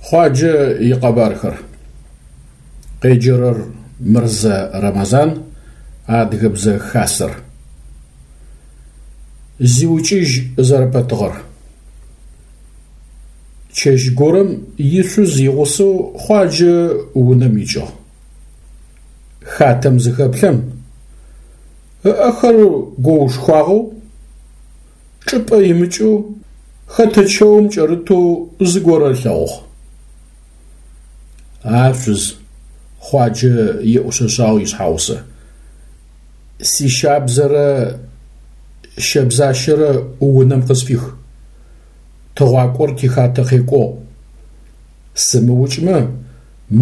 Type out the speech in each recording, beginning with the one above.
Хъуаджэ икъэбархэр. Къеджэрэр Мырзэ Рэмэзан, Адыгэбзэ Хасэр. Зиукӏыжь зэрэпэтыгъэр. Чэщ горэм ишъуз игъусэу Хъуаджэ унэм икӏыгъ. Хатэм зыхэплъэм, ыӏэхэр гоушхуагъэу, чӏыпӏэ имыкӏэу, хэтэ чэум кӏэрытэу зыгорэ ылъэгъугъ. А шъуз, Хъуаджэ еӏушъэшъагъ ишъхьэгъусэ, сищабзэрэ щэбзащэрэ унэм къысфих, тыгъуакӏор тихатэ къекӏугъ. Сымыукӏмэ,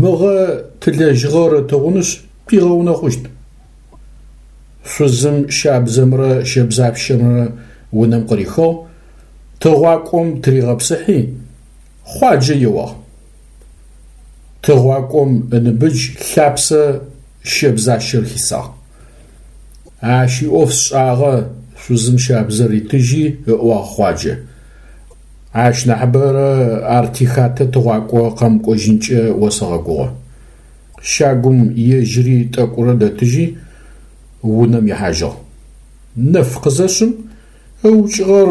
мыгъэ тылэжьыгъэр ытыгъунышъ, тигъэунэхъущт. Шъузым щабзэмрэ щэбзапщэмрэ унэм къырихыгъ, тыгъуакӏом тыригъэпсыхьи, Хъуаджэ еуагъ. Тыгъуакӏом ыныбыдж лъапсэ щэбзащэр хисагъ. Ащ иӏоф сшӏагъэ, шъузым щабзэр ритыжьи, ыӏуагъ Хъуаджэ. Ащ нахьыбэрэ ар тихатэ тыгъуакӏо къэмыкӏожьынкӏэ осэгъэгугъэ. Щагум ежьыри тӏэкӏурэ дэтыжьи, унэм ихьажьыгъ. Нэф къызэшъым, ыукӏыгъэр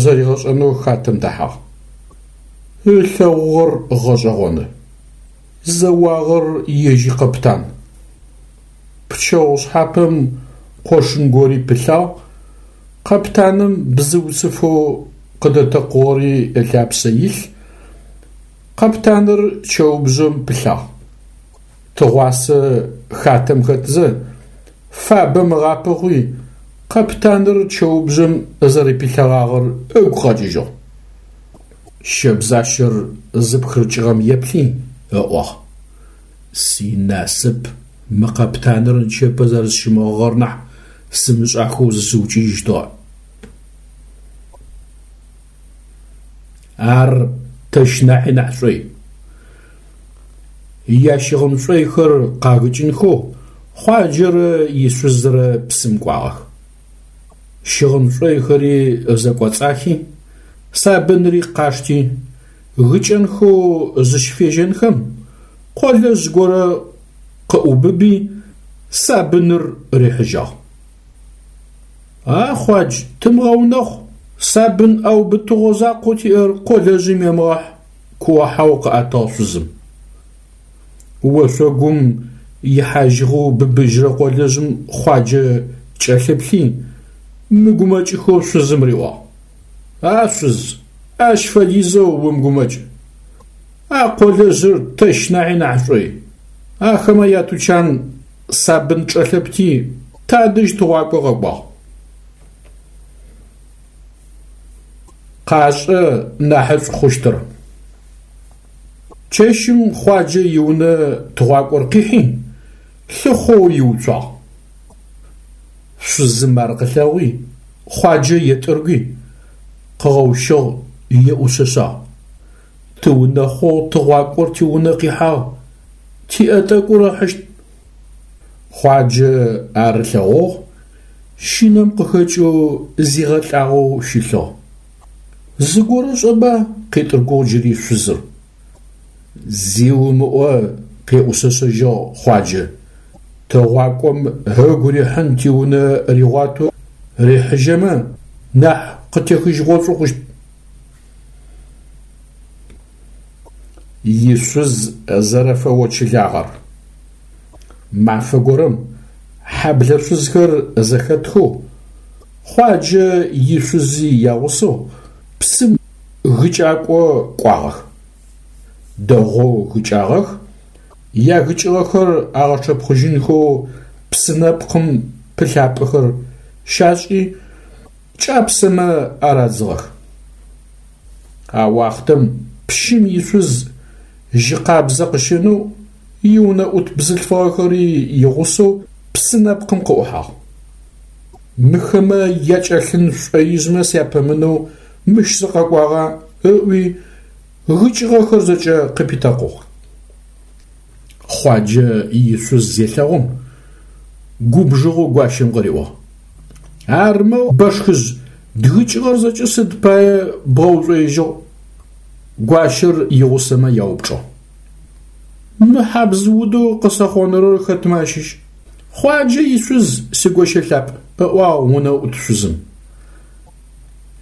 зэригъэшӏэнэу хатэм дэхьагъ. Ылъэгъугъэр гъэшӏэгъоны. Зэуагъэр ежь икъэптан. Пчэгъу шъхьапэм къошын гори пылъагъ, къэптаным бзыуцыфэу къыдэтэкъугъэри ылъапсэ илъ, къэптаныр чэубжъэм пылъагъ. Тыгъуасэ хатэм хэтзэ, фабэм ыгъапэ хъуи, къэптаныр чэубжъэм зэрэпилъэгъагъэр ыгу къэкӏыжьыгъ. Щэбзащэр зыпхырыкӏыгъэм еплъи, ыӏуагъ: Синасып мы къэптаныр нычэпэ зэрэсщымыгъыгъэр нахь сымышӏахэу зысыукӏыжьыщтыгъэ. Ар тэщ нахьи нахь шӏой. Ящыгъын шӏойхэр къагыкӏынхэу Хъуаджэрэ ишъузрэ псым кӏуагъэх. Щыгъын шӏойхэри зэкӏоцӏахи, сабынри къашти, гыкӏэнхэу зыщыфежьэнхэм, къолэжъ горэ къыӏубыби, сабыныр рихьыжьагъ. А Хъуадж, тымыгъэунэхъу, сабын ӏэубытыгъо закъоу тиӏэр къолэжъым емыгъэхь, куо-хьау къыӏэтыгъ шъузым. Ошъогум ихьажьыгъэу быбыжьырэ къолэжъым Хъуаджэ кӏэлъыплъи, мыгумэкӏыхэу шъузым риӏуагъ: А шъуз, ащ фэдизэу умыгумэкӏ. А къолэжъыр тэщ нахьи нахь шӏой. Ахэмэ ятучан сабын чӏэлъэпти, тадэжь тыгъуакӏо къэкӏуагъ. Къашӏэ нахьышӏу хъущтыр. Чэщым Хъуаджэ иунэ тыгъуакӏор къихьи, лъыхъоу иуцуагъ. Шъузым ар къылъэгъуи, Хъуаджэ етӏыргуи, къыгъэущыгъ, еӏушъэшъагъ. Тыунэхъугъ, тыгъуакӏор тиунэ къихьагъ, тиӏэ тӏэкӏур ыхьыщт. Хъуаджэ ар ылъэгъугъ, щынэм къыхэкӏэу зигъэлӏагъэу щылъыгъ. Зыгорэ шӏэба? къетӏыргугъ джыри шъузыр. Зи умыӏо, къеӏушъэшъэжьыгъ Хъуаджэ. Тыгъуакӏом ыгу рихьын тиунэ ригъуатэу рихьыжьэмэ, нахь къытехыжьыгъошӏу хъущт. Ишъуз зэрэфэочылагъэр. Мафэ горэм хьэблэ шъузхэр зэхэтхэу, Хъуаджэ ишъузи ягъусэу псым гыкӏакӏо кӏуагъэх. Дэгъоу гыкӏагъэх, ягыкӏыгъэхэр агъэчъэпхъыжьынхэу псы нэпкъым пылъапӏэхэр щашӏи, кӏапсэмэ арадзыгъэх. А уахътэм пщым ишъуз жьы къабзэ къыщэнэу иунэӏут бзылъфыгъэхэри игъусэу псы нэпкъым къыӏухьагъ. Мыхэмэ якӏэлъын шӏоижъмэ сяпэмынэу мыщ сыкъэкӏуагъа? ыӏуи, гыкӏыгъэхэр зэкӏэ къыпитэкъугъ. Хъуаджэ ишъуз зелъэгъум, губжыгъэу гуащэм къыриӏуагъ. Армэ, бэшхыжъ, дгыкӏыгъэр зэкӏэ сыд пае бгъэушӏоижьыгъ? Гуащэр игъусэмэ яупчӏыгъ. Мы хьабз удэу къысэхъонырэр хэтмэ ащыщ? Хъуаджэ ишъуз, сигощэ лъапӏ, ыӏуагъ унэӏут шъузым.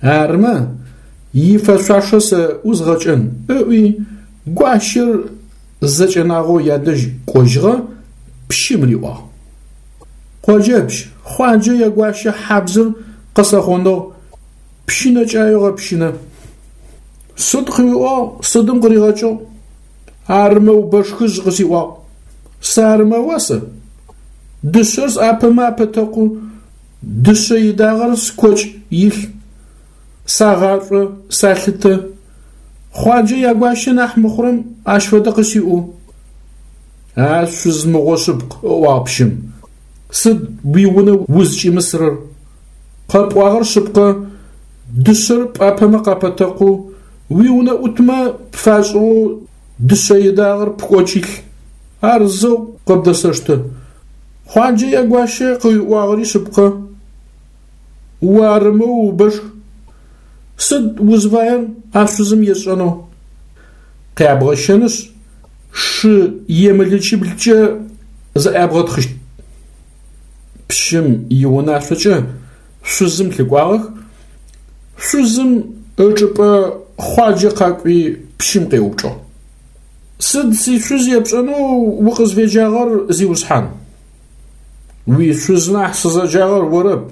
Армэ, ифэшъуашэ сэ ӏузгъэкӏэн, ыӏуи, гуащэр зэкӏэнагъэу ядэжь кӏожьыгъэ, пщым риӏуагъ. Къоджэпщ, Хъуаджэ ягуащэ хьабзыр къысэхъоныгъ, пщынэкӏаеу гъэпщынэ. Сыд къыуиӏуагъ, сыдым къыригъэкӏыгъ? Армэу бэшхыжъ къысиӏуагъ. Сыармэуа сэ? Дышъэр сӏапэмэ апэтэкъу, дышъэ идагъэр скокӏ илъ. Сагъашӏо, салъытэ. Хъуаджэ ягуащэ нахь мыхъурэм ащ фэдэ къысиӏу. А шъуз мыгъо шъыпкъ, ыӏуагъ пщым. Сыд уиунэ узкӏимысырэр? Къэпӏуагъэр шъыпкъэ, дышъэр пӏапэмэ къапэтэкъу, уиунэӏутмэ пфашӏыгъэу дышъэ идагъэр пкӏокӏ илъ. Ар зэу къыбдэсэштэ. Хъуаджэ ягуащэ къыуиӏуагъэри шъыпкъэ. Уарымэу убэшх. Сыд узфаер а шъузым есшӏэнэу? Къябгъэщэнышъ, шы емылычиблкӏэ зэӏябгъэтхъыщт. Пщым иунашъокӏэ шъузым лъыкӏуагъэх. Шъузым ычӏыпӏэ Хъуаджэ къакӏуи пщым къеупчӏыгъ. Сыд сишъуз епшӏэнэу укъызфеджагъэр, зиусхьан? Уишъуз нахь сызэджагъэр орэп,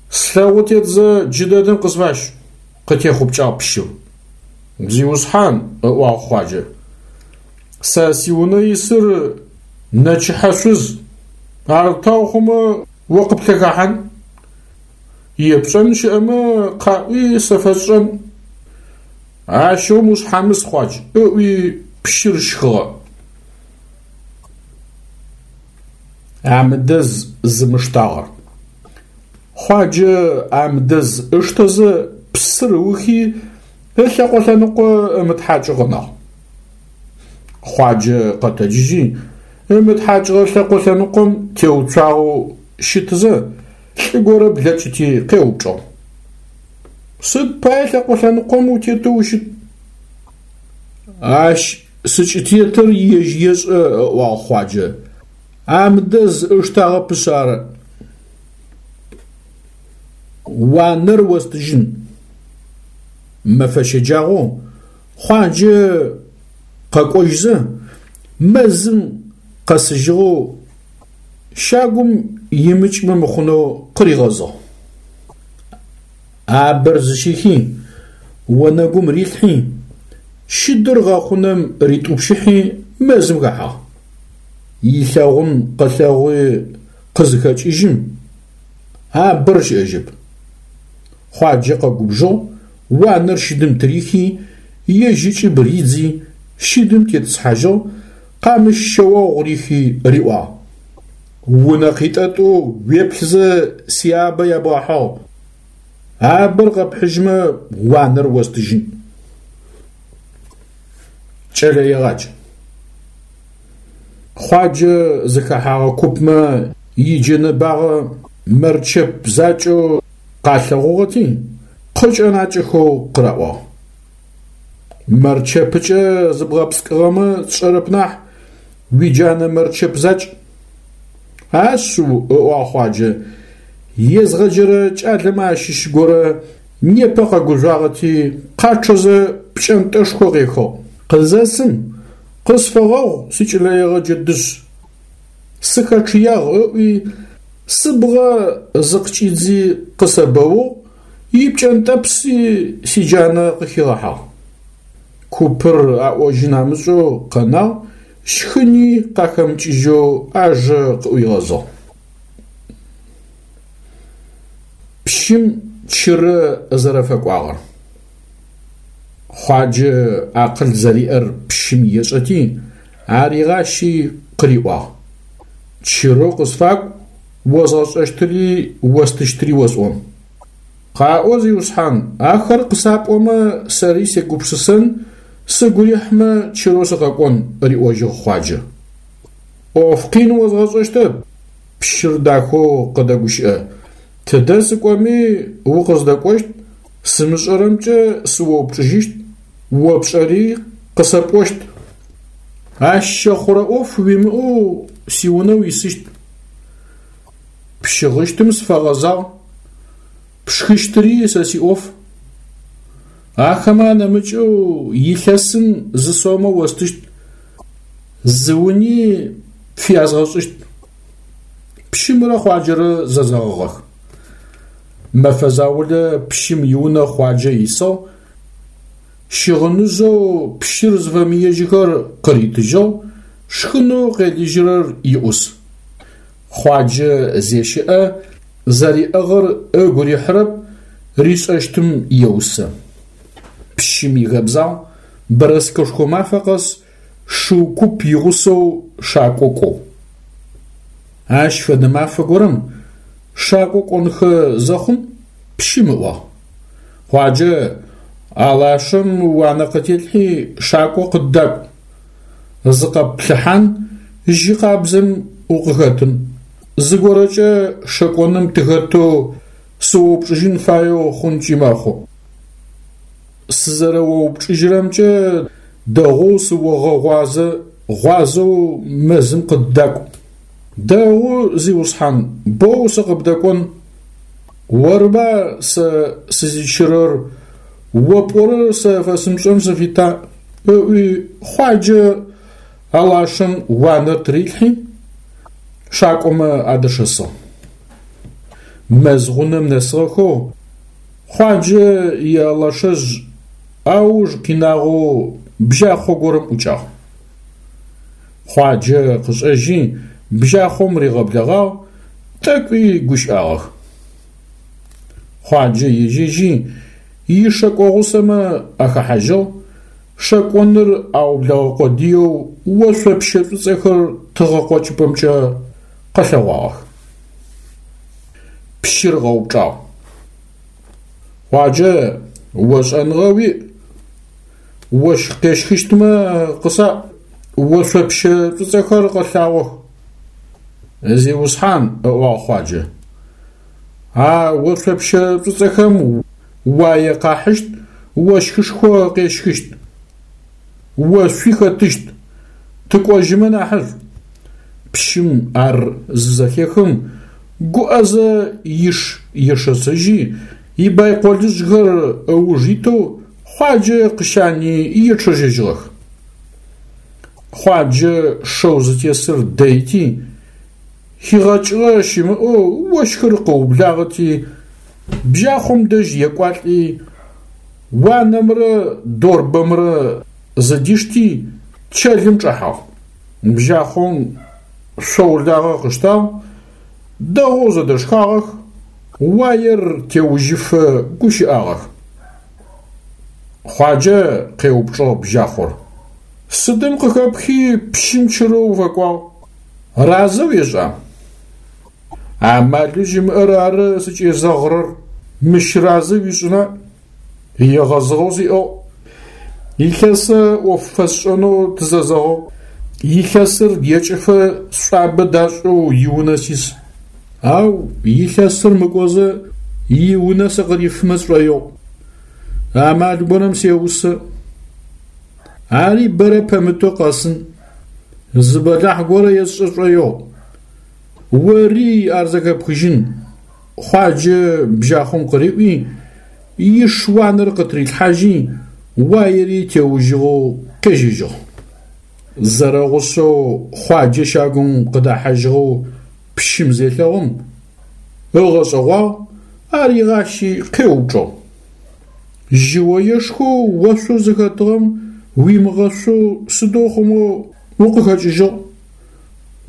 слъэгъу тетзэ джыдэдэм къысфащ, къытехъупкӏагъ пщыр. Зиусхьан, ыӏуагъ Хъуаджэ, сэ сиунэ исыр нэчыхьэ шъуз, ар тау хъумэ о къыплъэхахьан? Епшӏэн щыӏэмэ къаӏуи сэ фэсшӏэн. Ащыгъум ушъхьамыс, Хъуадж, ыӏуи пщыр щхыгъэ. Амдэз зымыштагъэр. Хъуаджэ амдэз ыштэзэ псыр ыухи, ылъэкъо лъэныкъо ымытхьакӏэу къэнагъ. Хъуаджэ къэтэджыжьи, ымытхьакӏыгъэ лъэкъо лъэныкъом теуцуагъэу щытызэ, лӏы горэ блэкӏыти къеупчӏыгъ. Сыд пае лъэкъо лъэныкъом утетэу ущыт? Ащ сыкӏытетыр ежь ешӏэ, ыӏуагъ Хъуаджэ. Амдэз ыштагъэпышъ ары. Уанэр остыжьын. Мэфэ щэджагъоу Хъуаджэ къэкӏожьзэ, мэзым къэсыжьыгъэу щагум имыкӏмэ мыхъунэу къыригъэзыгъ. Абэр зыщихи, онэгум рилъхьи, щыдыр гъэхъунэм ритӏупщыхьи мэзым хэхьагъ. Илъэгъун къылъэгъуи къызыхэкӏыжьым, абэр щыӏэжьэп. Хъуаджэ къэгубжыгъ, уанэр щыдым тырихи, ежь ыкӏыб ридзи, щыдым тетӏысхьажьыгъ, къамыщ шъэогъу рихи риӏуагъ. Унэ къитӏэтӏу уеплъызэ сиабэ ябгъэхьыгъ. Абэр къэпхьыжьмэ, уанэр остыжьын. Кӏэлэегъадж. Хъуаджэ зыхэхьагъэ купмэ иджэнэ багъэ мэрчэп закӏэу къалъэгъугъэти, къыкӏэнакӏэхэу къыраӏуагъ. Мэрчэпыкӏэ зыбгъэпскӏыгъэмэ сшӏэрэп нахь, уиджанэ мэрчэп закӏ. Ашъыу, ыӏуагъ Хъуаджэ, езгъэджэрэ кӏалэмэ ащыщ горэ непэ къэгужъуагъэти, къачъэзэ пкӏэнтӏэшхо къехыгъ. Къызэсым, къысфэгъэгъу, сикӏэлэегъэджэ дышъ, сыхэчъыягъ ыӏуи, сыбгъэ зыкъыкӏидзи къысэбэугъ, ипкӏэнтӏэпси сиджанэ къыхигъэхьагъ. Купыр аӏожьын амышӏэу къэнагъ, щхыни къахэмыкӏыжьэу ажэ къыӏуигъэзыгъ. Пщым чырэ зэрэфэкӏуагъэр. Хъуаджэ акъыл зэриӏэр пщым ешӏэти, аригъащи къыриӏуагъ. Чырэу къысфакӏу, озгъэшӏэщтыри остыщтыри осӏон. Къаӏо, зиусхьан, ахэр къысапӏомэ, сэри сегупшысэн, сыгу рихьмэ, чырэу сыкъэкӏон, риӏожьыгъ Хъуаджэ. ӏоф къин озгъэшӏэщтэп, пщыр дахэу къыдэгущыӏэ. Тыдэ сыкӏоми укъыздэкӏощт, сымышӏэрэмкӏэ сыоупчӏыжьыщт. О пшӏэри къысэпӏощт. Ащ щэхъурэ ӏоф уимыӏэу сиунэ уисыщт. Пщыгъыщтым сыфэгъэзагъ, пшхыщтыри сэ сиӏоф. Ахэмэ анэмыкӏэу илъэсым зы сомэ остыщт, зы уни пфязгъэшӏыщт. Пщымрэ Хъуаджэрэ зэзэгъыгъэх. Мэфэ заулэ пщым иунэ Хъуаджэ исыгъ, щыгъыныжъэу пщыр зыфэмыежьыхэр къыритыжьыгъ, шхынэу къелыжьырэр иӏус. Хъуаджэ зещыӏэ, зэриӏыгъыр ыгу рихьырэп, ришӏэщтым еусэ. Пщым ихэбзагъ, бэрэскэшхо мафэ къэс шыу куп игъусэу шакӏо кӏоу. Ащ фэдэ мафэ горэм шакӏо кӏонхэ зэхъум пщым ыӏуагъ: Хъуаджэ, алашэм уанэ къытелъхьи шакӏо къыддакӏу. Зыкъэпплъыхьан, жьы къабзэм укъыхэтын. Зыгорэкӏэ шэкӏоным тыхэтэу сыоупчӏыжьын фаеу хъункӏи мэхъу. Сызэрэоупчӏыжьырэмкӏэ дэгъоу сыогъэгъуазэ, гъуазэу мэзым къыддакӏу. Дэгъу, зиусхьан, боу сыкъыбдэкӏон. Орба сэ сызичырэр, о пӏорэр сэ фэсымышӏэн сыфита? Ыӏуи Хъуаджэ алашэм уанэр тырилъхьи, шакӏомэ адэшэсыгъ. Мэз гъунэм нэсыгъэхэу Хъуаджэ иалашэжъ ауж къинагъэу бжьахъо горэм ӏукӏагъ. Хъуаджэ къышӏэжьи бжьахъом ригъэблэгъагъ, тӏэкӏуи гущыӏагъэх. Хъуаджэ ежьэжьи ишэкӏо гъусэмэ ахэхьажьыгъ, шэкӏоныр аублэгъэ къодыеу ошъопщэ шӏуцӏэхэр тыгъэ къокӏыпӏэмкӏэ къэлъэгъуагъэх. Пщыр къэупчӏагъ. Хъуаджэ, о шӏэныгъэ уиӏ. Ощх къещхыщтмэ къысаӏу, ошъопщэ шӏуцӏэхэр къэлъагъох. Зиусхьан, ыӏуагъ Хъуаджэ, а ошъопщэ шӏуцӏэхэм уае къахьыщт, ощхышхо къещхыщт. Ошъуи хэтыщт, тыкӏожьымэ нахьышӏу. Пщым ар зызэхехым, гуӏэзэ иш ешэсыжьи, ибайколыжъхэр ыуж итэу Хъуаджэ къыщани ечъэжьэжьыгъэх. Хъуаджэ шэу зытесыр дэйти, хигъэкӏыгъэ щымыӏэу ощхыр къыублагъэти, бжьахъом дэжь екӏуалӏи, уанэмрэ дорбэмрэ зыдишти, чэлым чӏэхьагъ. Бжьахъом шъоу лагъэ къыштагъ, дэгъоу зэдэшхагъэх, уаер теужьыфэ гущыӏагъэх. Хъуаджэ къеупчӏыгъ бжьахъор: Сыдым къыхэпхи пщым чырэу уфэкӏуагъ? Разэ уешӏа? Амалэу зимыӏэр ары сыкӏезэгъырэр, мыщ разэ уишӏына? Егъэзыгъэу сиӏыгъ. Илъэсэ ӏоф фэсшӏэнэу тызэзэгъыгъ. Илъэсыр екӏыфэ сшӏуабэ дашӏэу иунэ сис. Ау илъэсыр мыкӏозэ иунэ сыкъырифымэ сшӏоигъу. Амал горэм сеусэ. Ари бэрэ пэмытэу къэсын. Зы бэлахь горэ есшӏэ шӏоигъу. Ори ар зэхэпхыжьын, Хъуаджэ бжьахъом къыриӏуи, иш уанэр къытырилъхьажьи, уаери теужьыгъэу къежьэжьыгъ. Зэрэгъусэу Хъуаджэ щагум къыдэхьажьыгъэу пщым зелъэгъум, ыгъэшӏэгъуагъ, аригъащи къеупчӏыгъ. Жьыоешхоу ошъоу зыхэтыгъэм уимыгъэшъоу сыдэу хъумэу укъыхэкӏыжьыгъ?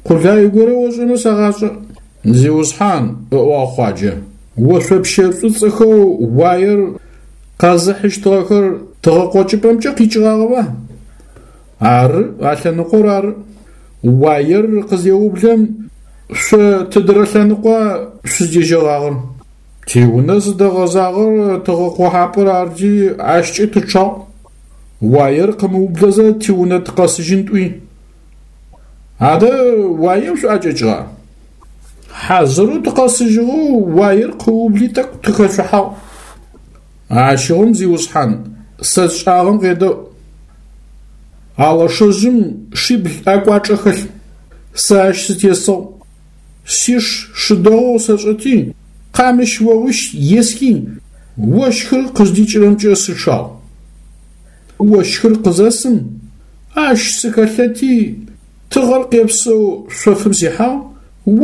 Къулай горэ ошӏэмэ сэгъашӏэ. Зиусхьан, ыӏуагъ Хъуаджэ, ошъопщэ шӏуцӏэхэу уаер къэзыхьыщтыгъэхэр тыгъэкъокӏыпӏэмкӏэ къикӏыгъагъэба? Ары, а лъэныкъор ары. Уаер къызеублэм, шъо тыдырэ лъэныкъуа шъуздежьэгъагъэр? Тиунэ зыдэгъэзагъэр тыгъэкъохьапӏэр арти, ащкӏэ тычъагъ. Уаер къымыублэзэ тиунэ тыкъэсыжьын тӏуи. Адэ уаем шъуӏэкӏэкӏыгъа? Хьазырэу тыкъэсыжьыгъэу уаер къыубли тӏэкӏу тыхэшъухьагъ. Ащыгъум, зиусхьан, Сэ сшӏагъэм къедэӏу. Алэшэжъым шибл ӏэкӏуачӏэ хэлъ. Сэ ащ сытесыгъ. Сиш шы дэгъоу сэшӏэти, къамыщ огъуищ есхи, ощхыр къыздикӏырэмкӏэ сычъагъ. Ощхыр къызэсым, ащ сыхэлъэти, тыгъэр къепсэу шъофым сихьагъ,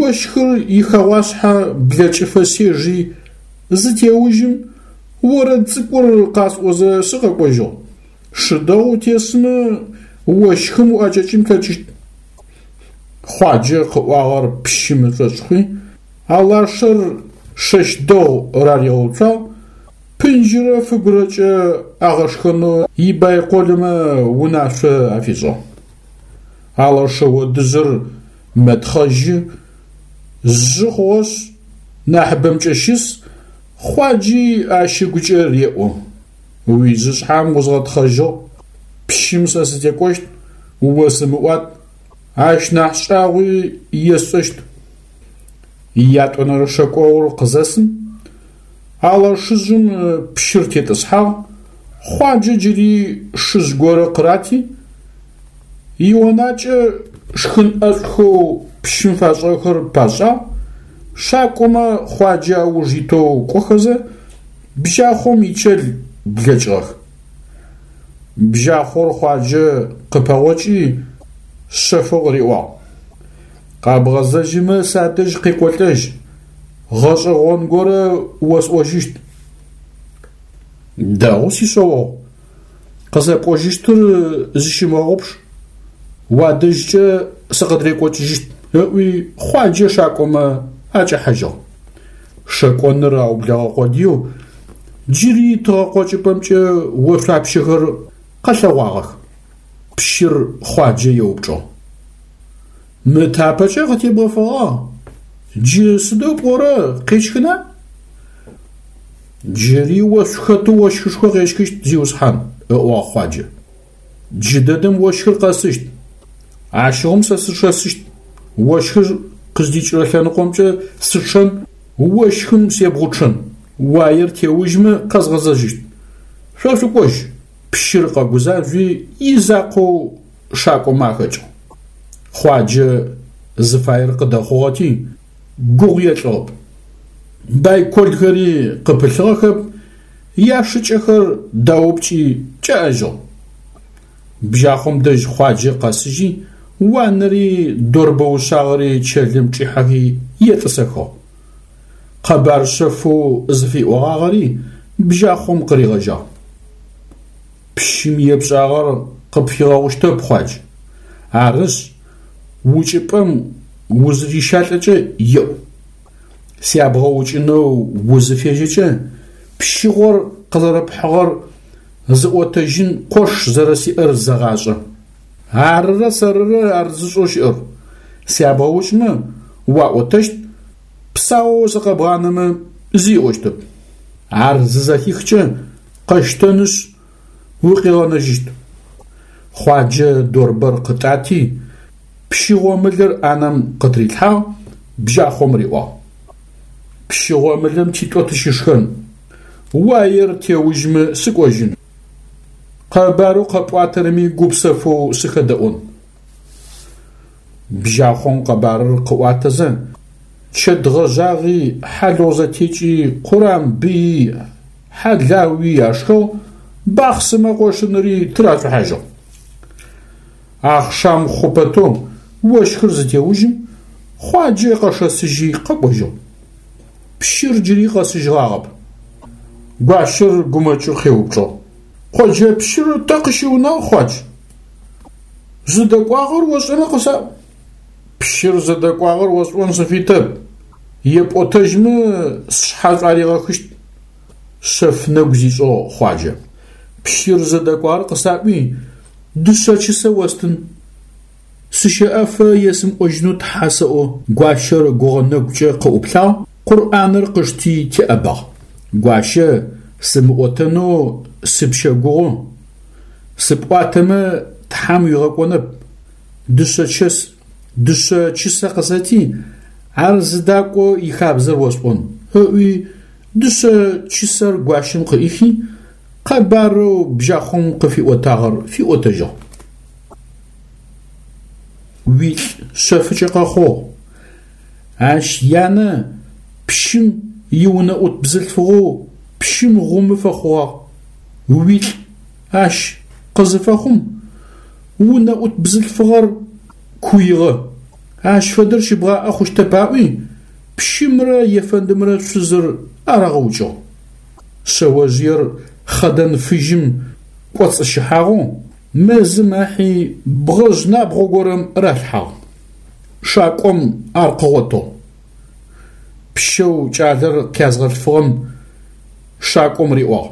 ощхыр ихэгъуашъхьэ блэкӏыфэ сежи, зытеужьым, орэд цӏыкӏур къасӏозэ сыкъэкӏожьыгъ. Шы дэгъу утесмэ, ощхым уӏэкӏэкӏын плъэкӏыщт. Хъуаджэ къыӏуагъэр пщым ышӏошъ хъуи, алашэр шэщ дэгъу раригъэуцуагъ, пынджырэ фыгурэкӏэ агъэшхэнэу ибайколмэ унашъо афишӏыгъ. Алэшэ одыжъыр мэтхъэжьы, жъы хъугъэшъ, нахьыбэмкӏэ щыс, Хъуаджи ащ ыгукӏэ реӏо: Уижъышъхьэм узгъэтхъэжьыгъ, пщым сэ сытекӏощт, осымыӏуат, ащ нахь шӏагъуи есшӏэщт. Ятӏонэрэ шэкӏогъур къызэсым, алэшыжъым пщыр тетӏысхьагъ, Хъуаджэ джыри шыжъ горэ къырати, ионакӏэ шхын ӏэшӏухэу пщым фашӏыгъэхэр пашӏагъ, шакӏомэ Хъуаджэ ауж итэу кӏохэзэ, бжьахъом ичэл блэкӏыгъэх. Бжьахъор Хъуаджэ къыпэгъокӏи, шъэфэу къыриӏуагъ: Къэбгъэзэжьымэ садэжь къекӏолӏэжь, гъэшӏэгъон горэ осӏожьыщт. Дэгъу, сишъэогъу, къызэпӏожьыщтыр зыщымыгъэгъупш, уадэжькӏэ сыкъыдрекӏокӏыжьыщт, ыӏуи Хъуаджэ шакӏомэ акӏэхьажьыгъ. Шэкӏоныр аублэгъэ къодыеу джыри тыгъэкъокӏыпӏэмкӏэ ошъуапщэхэр къэлъэгъуагъэх. Пщыр Хъуаджэ еупчӏыгъ: Мы тапэкӏэ къытебгъэфэгъагъ, джы сыдэу пӏорэ, къещхына? Джыри ошъу хэтэу ощхышхо къещхыщт, зиусхьан, ыӏуагъ Хъуаджэ. Джыдэдэм ощхыр къэсыщт. Ащыгъум сэ сышэсыщт. Ощхыр къыздикӏырэ лъэныкъомкӏэ сычъэн, ощхым себгъучъэн. Уаер теужьмэ къэзгъэзэжьыщт. Шъо шъукӏожь. Пщыр къэгузажъуи изакъоу шакӏомэ ахэкӏыгъ. Хъуаджэ зыфаер къыдэхъугъэти, гугъу елӏыгъэп. Байколхэри къыпылъыгъэхэп, яшыкӏэхэр даупкӏи кӏэӏэжьыгъ. Бжьахъом дэжь Хъуаджэ къэсыжьи, уанэри дорбэ ушъагъэри чэлым чӏихьэхи етӏысэхыгъ. Къэбар шъэфэу зыфиӏогъагъэри бжьахъом къыригъэжьагъ. Пщым епшӏагъэр къыпфигъэгъущтэп, Хъуадж. Арышъ, укӏыпӏэм узырищалӏэкӏэ еӏу. Сябгъэукӏынэу узыфежьэкӏэ, пщыгъор къызэрэпхьыгъэр зыӏотэжьын къош зэрэсиӏэр зэгъашӏэ. Арырэ сэрырэ ар зышӏэу щыӏэр. Сябгъэукӏмэ, уаӏотэщт, псаоу сыкъэбгъанэмэ, зи ыӏощтэп. Ар зызэхихкӏэ, къэщтэнышъ, укъигъэнэжьыщт. Хъуаджэ дорбэр къытӏати, пщы гъомылэр ӏанэм къытырилъхьагъ, бжьахъом риӏуагъ: Пщы гъомылэм титӏо тыщышхэн, уаер теужьмэ сыкӏожьын. Къэбарэу къэпӏуатэрэми гупсэфэу сыхэдэӏон. Бжьахъом къэбарыр къыӏуатэзэ, чэт гъэжъагъи, хьалыгъу зэтекӏи, къурамбыйи, хьалауи ашхыгъ, бахъсымэ къошыныри тырашъухьажьыгъ. Ахъшам хъупэтэу ощхыр зытеужьым, Хъуаджэ къэшэсыжьи къэкӏожьыгъ. Пщыр джыри къэсыжьыгъагъэп. Гуащэр гумэкӏэу къеупчӏыгъ: Къоджэ пщыр тэ къыщыунагъ, Хъуадж? Зыдэкӏуагъэр ошӏэмэ къысаӏу. Пщыр зыдэкӏуагъэр осӏон сыфитэп, епӏотэжьмэ сшъхьэ шӏуаригъэхыщт. Шъэф нэгу зишӏыгъ Хъуаджэ. Пщыр зыдэкӏуагъэр къысаӏуи, дышъэ чысэ остын. Сыщэӏэфэ есымыӏожьынэу тхьэ сэӏо. Гуащэр гугъэ нэгукӏэ къыӏуплъагъ, Къурӏаныр къышти теӏэбагъ. Гуащэ, сымыӏотэнэу сыпщэгугъы. Сыпӏуатэмэ, Тхьэм уигъэкӏонэп. Дышъэ чэс, дышъэ чысэ къысэти, ар зыдакӏо ихабзэр осӏон, ыӏуи, дышъэ чысэр гуащэм къыӏихи, къэбарэу бжьахъом къыфиӏотагъэр фиӏотэжьыгъ. Уилӏ шъэфыкӏэ къэхъугъ. Ащ янэ пщым иунэӏут бзылъфыгъэу пщым гъумы фэхъугъагъ. Уилӏ ащ къызыфэхъум, унэӏут бзылъфыгъэр куигъэ. Ащ фэдэр щыбгъаӏэ хъущтэп аӏуи, пщымрэ ефэндымрэ шъузыр арагъэукӏыгъ. Шъэожъыер хъэдэн фыжьым кӏоцӏыщыхьагъэу мэзым ахьи бгъэжъ набгъо горэм ралъхьагъ. Шакӏом ар къыгъотыгъ. Пщэу кӏалэр къязгъэлъфыгъэм шакӏом риӏуагъ: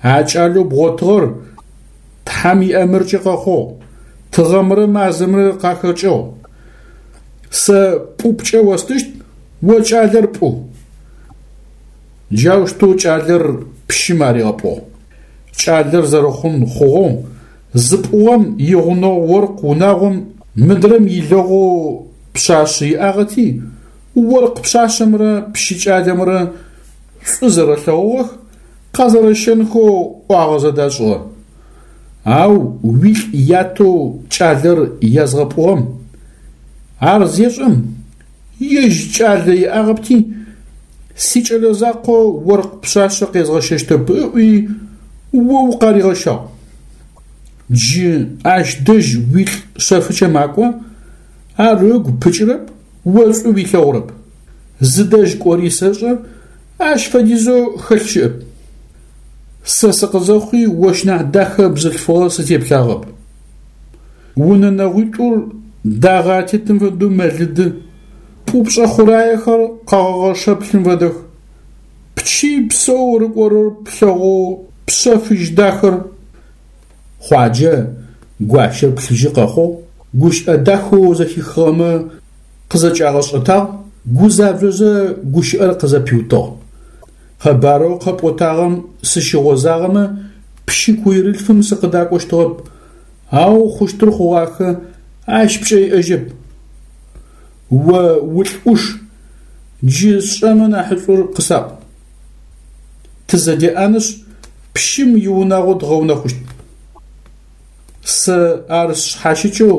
А кӏалэу бгъотыгъэр Тхьэм иӏэмыркӏэ къэхъугъ, тыгъэмрэ мазэмрэ къахэкӏыгъ. Сэ пӏупкӏэ остыщт, о кӏалэр пӏу. Джаущтэу кӏалэр пщым аригъэпӏугъ. Кӏалэр зэрэхъун хъугъэу, зыпӏугъэм игъунэгъу оркъ унагъом мыдрэм илэгъоу пшъашъэ иӏагъэти, оркъ пшъашъэмрэ пщы кӏалэмрэ шӏу зэрэлъэгъугъэх, къэзэрэщэнхэу ӏуагъэ зэдашӏыгъэ. Ау уилӏ ятэу кӏалэр язгъэпӏугъэм ар зешӏэм, ежь кӏалэ иӏагъэпти, сикӏэлэ закъо оркъ пшъашъэ къезгъэщэщтэп ыӏуи, о укъаригъэщагъ. Джы ащ дэжь уилӏ шъэфыкӏэ макӏо, ар ыгу пыкӏырэп, о шӏу уилъэгъурэп. Зыдэжь кӏори сэшӏэ, ащ фэдизэу хэлъ щыӏэп. Сэ сыкъызэхъуи ощ нахь дахэ бзылъфыгъэ сытеплъагъэп. Унэ нэгъуитӏур дагъэ атетым фэдэу мэлыды, пӏупшӏэ хъураехэр къэгъэгъэ шэплъым фэдэх. Пчый псэу рыкӏорэр плъэгъоу пшъэ фыжь дахэр. Хъуаджэ гуащэр плъыжьы къэхъугъ, гущыӏэ дахэу зэхихыгъэмэ къызэкӏагъэшӏэтагъ, гузажъозэ гущыӏэр къызэпиутыгъ. Къэбарэу къэпӏотагъэм сыщыгъозагъэмэ, пщы куирылъфым сыкъыдакӏощтыгъэп, ау хъущтыр хъугъахэ, ащ пкӏэ иӏэжьэп. О улӏ ӏуш, джы сшӏэмэ нахьышӏур къысаӏу. Тызэдеӏэнышъ, пщым иунагъо дгъэунэхъущт. Сэ ар сшъхьащыкӏэу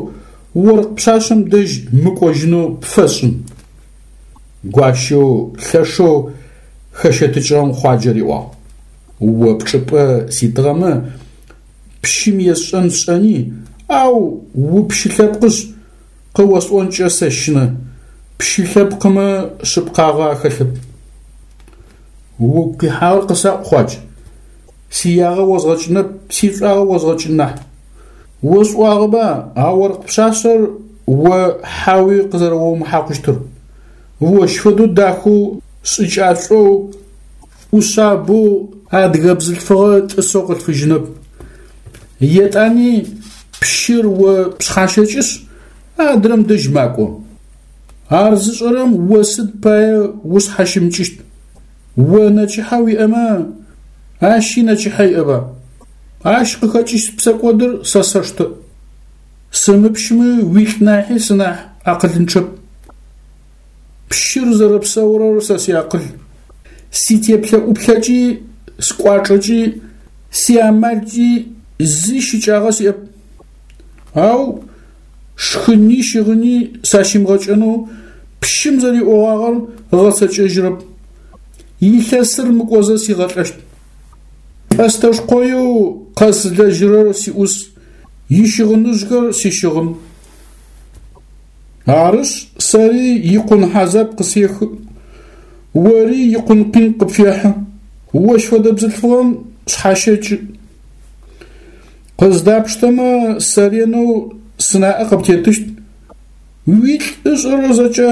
оркъ пшъашъэм дэжь мыкӏожьынэу пфэсшӏын. Гуащэу лъэшэу хэщэтыкӏыгъэм Хъуаджэ риӏуагъ: О пчӏыпӏэ ситыгъэмэ, пщым есшӏэн сшӏэни, ау упщы лъэпкъышъ, къыосӏонкӏэ сэщынэ, пщы лъэпкъымэ шъыпкъагъэ ахэлъэп. Угу къихьагъэр къысаӏу, Хъуадж. Сиягъэ озгъэкӏынэп, сишӏуагъэ озгъэкӏын нахь. Осӏуагъэба а оркъ пшъашъэр о хьауи къызэрэомыхьакъущтыр? Ощ фэдэу дахэу, шӏыкӏашӏоу, ӏушъабэу адыгэ бзылъфыгъэ тӏысэу къылъфыжьынэп. Етӏани пщыр о пшъхьащэкӏышъ, адрэм дэжь макӏо. Ар зышӏэрэм о сыд пае ушъхьащымыкӏыщт? О нэчыхьэ уиӏэмэ, ащи нэчыхьэ иӏэба? Ащ къыхэкӏыщт псэкӏодыр сэ сэштэ. Сымыпщми уилӏ нахьи сынахь акъылынчъэп. Пщыр зэрэпсэурэр сэ сиакъыл. Ситеплъэ-ӏуплъэкӏи, скӏуачӏэкӏи, сиамалкӏи зи щыкӏагъэ сиӏэп. Ау шхыни щыгъыни сащимыгъэкӏэнэу пщым зэриӏогъагъэр ыгъэцэкӏэжьырэп. Илъэсыр мыкӏозэ сигъэлӏэщт. Пӏэстэшкъоеу къэсылэжьырэр сиӏус, ищыгъыныжъхэр сищыгъын. Арышъ, сэри икъун хьазаб къысехы, ори икъун къин къыпфехьы, ощ фэдэ бзылъфыгъэм шъхьащэкӏы. Къыздапштэмэ, сэ ренэу сынаӏэ къыптетыщт, уилӏ ышӏэрэр зэкӏэ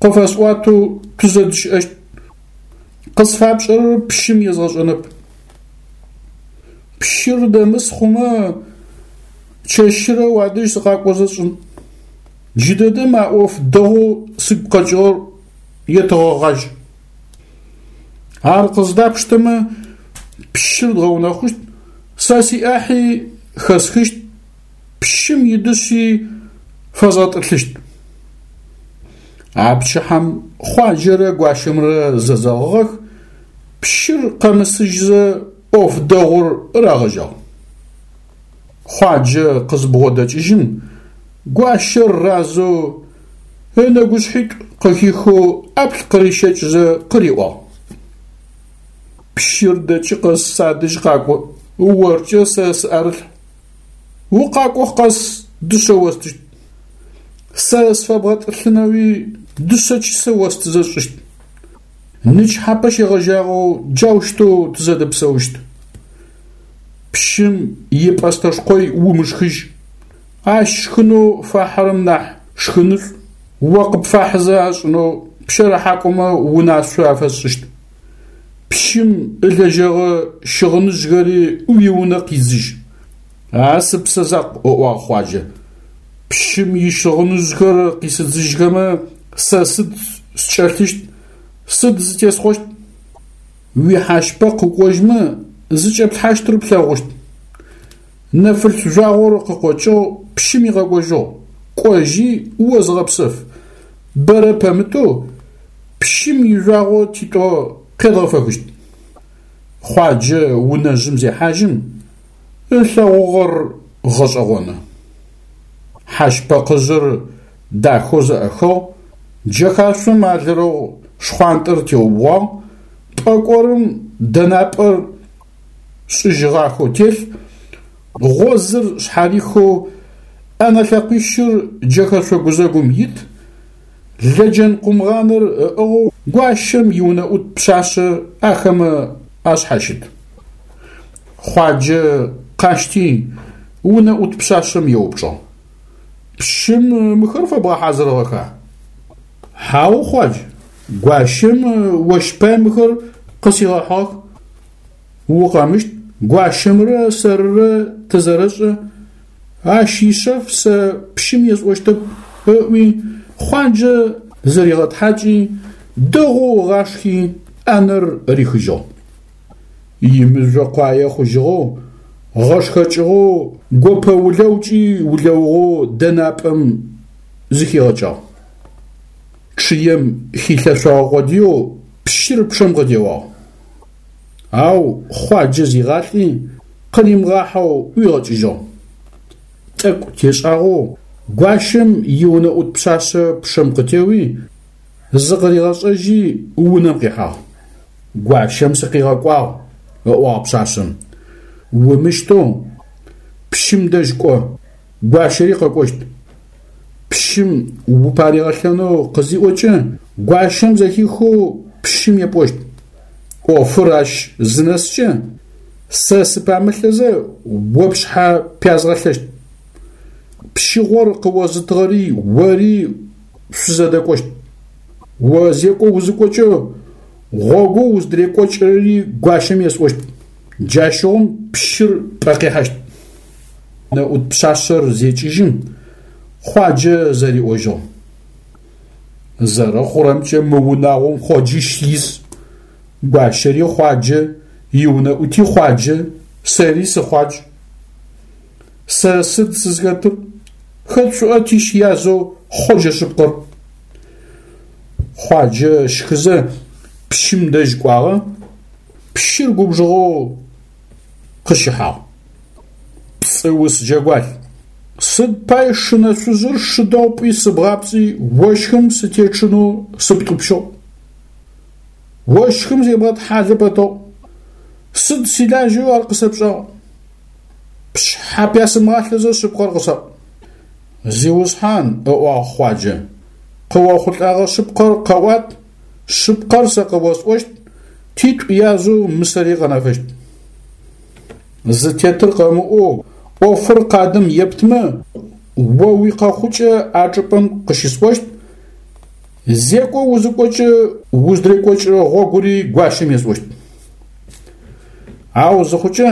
къыфэсӏуатэу тызэдыщыӏэщт. Къысфапшӏэрэр пщым езгъэшӏэнэп. Пщыр дэмыс хъумэ, чэщырэ уадэжь сыкъакӏозэ сшӏын. Джыдэдэм а ӏоф дэгъоу сыгу къэкӏыгъэр етэгъэгъажь. Ар къыздапштэмэ, пщыр дгъэунэхъущт, сэ сиӏахьи хэсхыщт, пщым идышъи фэзгъэтӏылъыщт. А пчыхьэм Хъуаджэрэ гуащэмрэ зэзэгъыгъэх, пщыр къэмысыжьзэ. ӏоф дэгъур рагъэжьагъ. Хъуаджэ къызыбгъодэкӏыжьым, гуащэр разэу ынэгушъхьитӏу къыхихэу ӏаплӏ къырищэкӏызэ къыриӏуагъ. Пщыр дэкӏы къэс садэжь къакӏо, оркӏэ сэ сыӏэрылъхь. Укъакӏо къэс дышъэ остыщт. Сэ сфэбгъэтӏылъынэуи дышъэ чысэ остызэ сшӏыщт. Нычхьапэ щегъэжьагъэу джаущтэу тызэдэпсэущт. Пщым ипӏэстэшкъой умышхыжь. Ащ шхынэу фахьырэм нахь шхынышӏу о къыпфахьызэ ашӏынэу пщэрыхьакӏомэ унашъо афэсшӏыщт. Пщым ылэжьэгъэ щыгъыныжъхэри уиунэ къидзыжь. А сыпсэ закъу, ыӏуагъ Хъуаджэ. Пщым ищыгъыныжъхэр къисыдзыжьхэмэ, сэ сыд скӏэлъыщт, сыд зытесхъощт? Уихьащпэкъ укӏожьмэ, зыкӏэплъхьащтыр плъэгъущт. Нэфылъ жъуагъор къыкъокӏыгъ, пщым икъэкӏожьыгъу. Кӏожьи, о зыгъэпсэф. Бэрэ пэмытэу пщым ижъуагъо титӏо къедгъэфэхыщт. Хъуаджэ унэжъым зехьажьым, ылъэгъугъэр гъэшӏэгъоны. Хьащпэкъыжъыр дахэу зэӏэхыгъ, джэхашъом алрэгъу шхъуантӏэр теубгъуагъ, пӏэкӏорым дэнапӏэр шӏыжьыгъахэу телъ, гъозыр шъхьарихэу ӏэнэ лъэкъуищыр джэхэшъо гузэгум ит, лэджэн-къумгъаныр ыӏыгъэу гуащэм иунэӏут пшъашъэ ахэмэ ашъхьащыт. Хъуаджэ къащти, унэӏут пшъашъэм еупчӏыгъ. Пщым мыхэр фэбгъэхьазырыгъэха? Хьау, Хъуадж, гуащэм ощ пай мыхэр къысигъэхьыгъэх. Укъэмыщт, гуащэмрэ сэрырэ тызэрэшӏэ, ащ ишъэф сэ пщым есӏощтэп, ыӏуи, Хъуаджэ зыригъэтхьакӏи, дэгъоу ыгъашхи, ӏанэр рихыжьыгъ. Имыжъо къуае хъужьыгъэу, гъэшхэкӏыгъэу, гопэ улэукӏи улэугъэу дэнапӏэм зыхигъэкӏагъ. Чъыем хилъэшъогъэ къодыеу пщыр пчъэм къытеуагъ. Ау Хъуаджэ зигъалӏи, къыримыгъахьэу ӏуигъэкӏыжьыгъ. Тӏэкӏу тешӏагъэу гуащэм иунэӏут пшъашъэ пчъэм къытеуи, зыкъыригъэшӏэжьи унэм къихьагъ. Гуащэм сыкъигъэкӏуагъ, ыӏуагъ пшъашъэм. Умыщтэу пщым дэжь кӏо, гуащэри къэкӏощт. Пщым упаригъэлъэнэу къызиӏокӏэ, гуащэм зэхихэу пщым епӏощт. ӏофыр ащ зынэскӏэ, сэ сыпамылъэзэ о пшъхьэ пязгъэлъэщт. Пщыгъор къыозытыгъэри ори шъузэдэкӏощт. О зекӏо узыкӏокӏэ, гъогоу уздырекӏокӏырэри гуащэм есӏощт. Джащыгъум пщыр пӏэ къихьащт. Унэӏут пшъашъэр зекӏыжьым, Хъуаджэ зэриӏожьыгъ. Зэрэхъурэмкӏэ мы унагъом хъоджищ ис. Гуащэри Хъуаджэ, иунэӏути Хъуаджэ, сэри сыхъуадж. Сэ сыд сызхэтыр? Хэт шъуӏэ тищ язэу хъоджэ шъыпкъэр? Хъуаджэ щхызэ пщым дэжь кӏуагъэ, пщыр губжыгъэу къыщыхьагъ. Пцӏыус джэгуалъ! Сыд пай шынэшъужъыр шы дэгъу пӏуи сыбгъапцӏи ощхым сытечъынэу сыптӏупщыгъ? Ощхым зебгъэтхьалэ пэтыгъ. Сыд силажьэу ар къысэпшӏагъ? Пшъхьэ пясымыгъалъэзэ шъыпкъэр къысаӏу. Зиусхьан, ыӏуагъ Хъуаджэ, къыохъулӏэгъэ шъыпкъэр къэӏуат, шъыпкъэр сэ къыосӏощт, титӏу язэу мысэри къэнэфэщт. Зытетыр къэмыӏоу ӏофыр къадым ептымэ, о уикъэхъукӏэ а чӏыпӏэм къыщысӏощт, зекӏо узыкӏокӏэ уздырекӏокӏырэ гъогури гуащэм есӏощт. Ау зыхъукӏэ,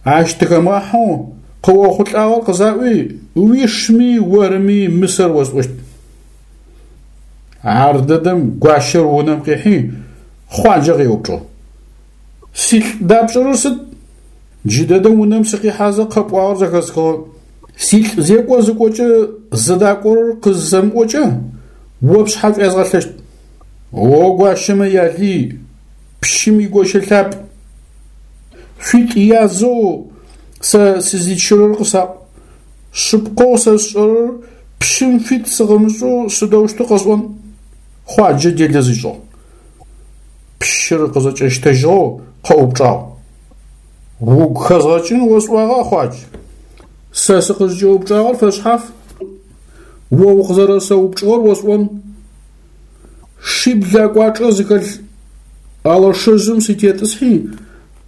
ащ тыхэмыгъахьэу къыохъулӏагъэр къызаӏуи, уишми орыми мысэр осӏощт. Ардэдэм гуащэр унэм къихьи, Хъуаджэ къеупчӏыгъ. Силӏ дапшӏэрэр сыд? Джыдэдэм унэм сыкъихьазэ къэпӏуагъэр зэхэсхыгъэ. Силӏ зекӏо зыкӏокӏэ зыдакӏорэр къызысэмыӏокӏэ, о пшъхьэ шӏуязгъэлъэщт. О гуащэмэ ялый, пщым игощэ лъапӏ. Шъуитӏу язэу сэ сызичырэр къысаӏу. Шъыпкъэу сэ сшӏэрэр пщым фит сыкъымышӏэу сыдэущтэу къэсӏон? Хъуаджэ делэ зишӏыгъ. Пщыр къызэкӏэщтэжьыгъэу къэупчӏагъ. Угу хэзгъэкӏын осӏуагъа, Хъуадж? Сэ сыкъызкӏэупчӏагъэр фэшъхьаф. О укъызэрэсэупчӏыгъэр осӏон. Шибл акӏуачӏэ зыхэлъ алашэжъым сытетӏысхьи,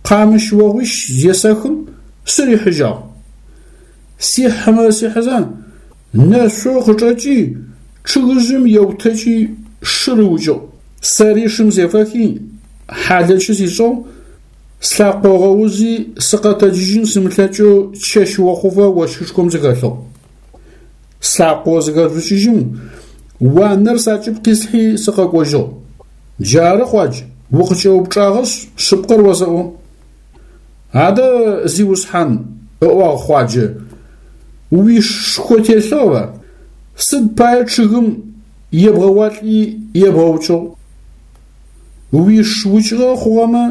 къамыщ огъуищ зесэхым, сырихьыжьагъ. Сихьымэ-сихьызэ, нэшъоу къычӏэкӏи, чъыгыжъым еутэкӏи шыр ыукӏыгъ. Сэри шым сефэхи, хьалэчы сишӏыгъ, слъакъо ыгъэузи, сыкъэтэджыжьын сымылъэкӏэу чэщ охъуфэ ощхышхом сыхэлъыгъ. Слъакъо зыхэжъукӏыжьым, уанэр сакӏыб къислъхьи сыкъэкӏожьыгъ. Джары, Хъуадж, укъыкӏэупчӏагъэшъ, шъыпкъэр осэӏо. Адэ, зиусхьан, ыӏуагъ Хъуаджэ, уиш шхо телъыгъэба? Сыд пае чъыгым ебгъэуалӏи ебгъэукӏыгъ? Уиш укӏыгъэ хъугъэмэ,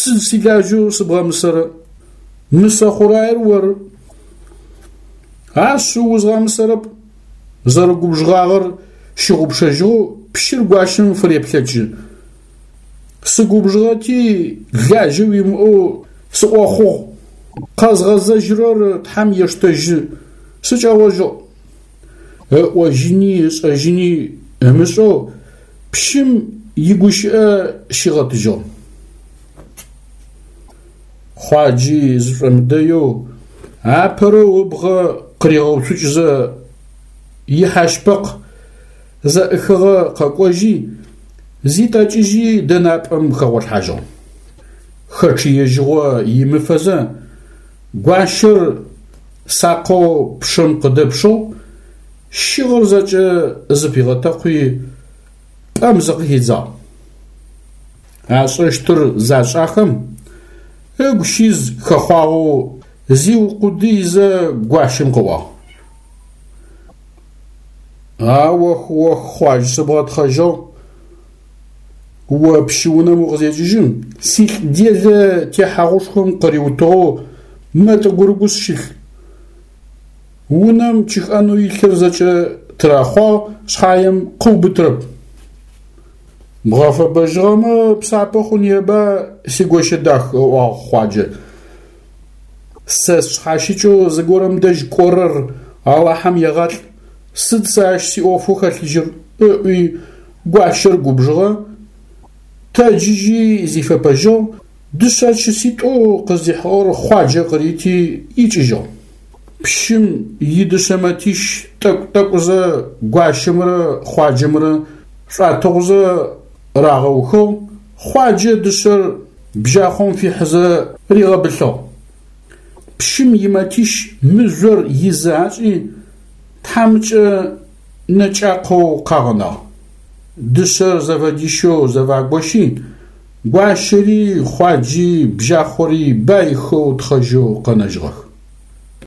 сыд силажьэу сыбгъэмысэрэ? Мысэ хъураер оры. Ашъыу узгъэмысэрэп, зэрэгубжыгъагъэр щыгъупшэжьыгъэу пщыр гуащэм фыреплъэкӏы. Сыгубжыгъэти, лажьэ уимыӏэу сыӏохъугъ, къэзгъэзэжьырэр Тхьэм ештэжьы, сыкӏэгъожьыгъ. Ыӏожьыни ышӏэжьыни ымышӏэу пщым игущыӏэ щигъэтыжьыгъ. Хъуаджи зышӏомыдэеу апэрэу ыбгъэ къыригъэуцукӏызэ ихьащпэкъ зэӏыхыгъэ къэкӏожьи, зитӏэкӏыжьи дэнапӏэм хэгъолъхьажьыгъ. Хэчъыежьыгъо имыфэзэ, гуащэр сакъэу пчъэм къыдэпшыгъ, щыгъыр зэкӏэ зыпигъэтэкъуи, пӏэм зыкъыхидзагъ. Ашӏэщтыр зашӏахэм, ыгу щиз хэхъуагъэу зиукъудыйзэ гуащэм къыӏуагъ. А ох-ох, Хъуадж, сыбгъэтхъэжьыгъ. О пщы унэм укъызекӏыжьым, силӏ делэ техьагъушхом къыриутыгъэу мэ тӏыгурыгушъ щылъ. Унэм чыхӏэнэу илъыр зэкӏэ тырахъуагъ шъхьаем къыубытырэп. Бгъэфэбэжьыгъэмэ псапэ хъуныеба, сигощэ дах, ыӏуагъ Хъуаджэ. Сэ сшъхьащыкӏэу зыгорэм дэжь кӏорэр Алахьэм егъалӏ, сыд сэ ащ сиӏофэу хэлъыжьыр, ыӏуи, гуащэр губжыгъэ, тэджыжьи зифэпэжьыгъ, дышъэ чыситӏоу къыздихьыгъэр Хъуаджэ къырити икӏыжьыгъ. Пщым идышъэ мэтищ тӏэкӏу-тӏэкӏузэ гуащэмрэ Хъуаджэмрэ шӏуатыгъузэ рагъэухыгъ, Хъуаджэ дышъэр бжьахъом фихьызэ ригъэбылъыгъ. Пщым имэтищ мыжъор изы ашӏи, тхьамыкӏэ нэкӏакъоу къагъэнагъ. Дышъэр зэфэдищэу зэфагощи, гуащэри, Хъуаджи, бжьахъори байхэу тхъэжьэу къэнэжьыгъэх.